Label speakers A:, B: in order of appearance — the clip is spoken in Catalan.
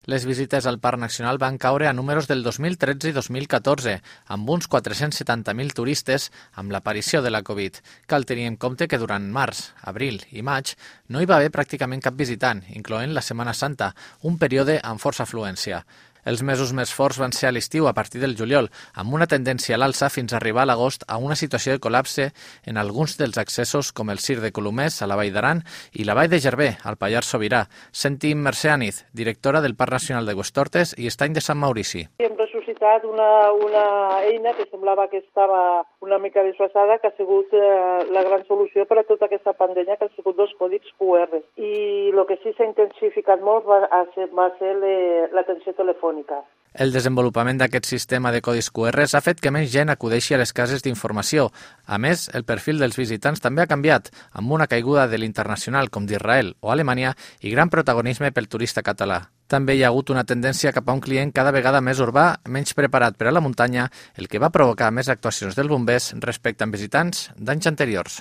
A: Les visites al Parc Nacional van caure a números del 2013 i 2014, amb uns 470.000 turistes amb l'aparició de la Covid. Cal tenir en compte que durant març, abril i maig no hi va haver pràcticament cap visitant, incloent la Setmana Santa, un període amb força afluència. Els mesos més forts van ser a l'estiu a partir del juliol, amb una tendència a l'alça fins a arribar a l'agost a una situació de col·lapse en alguns dels accessos com el Cir de Colomers a la Vall d'Aran i la Vall de Gerver, al Pallars Sobirà. Sentim Mercè Aniz, directora del Parc Nacional de Huestortes i Estany de Sant Maurici.
B: Hem ressuscitat una eina que semblava que estava una mica desfasada, que ha sigut la gran solució per a tota aquesta pandèmia, que han sigut dos còdics QR. I el que sí s'ha intensificat molt va ser l'atenció telefònica.
A: El desenvolupament d'aquest sistema de codis QR ha fet que més gent acudeixi a les cases d'informació. A més, el perfil dels visitants també ha canviat, amb una caiguda de l'internacional com d'Israel o Alemanya i gran protagonisme pel turista català. També hi ha hagut una tendència cap a un client cada vegada més urbà, menys preparat per a la muntanya, el que va provocar més actuacions dels bombers respecte a visitants d'anys anteriors.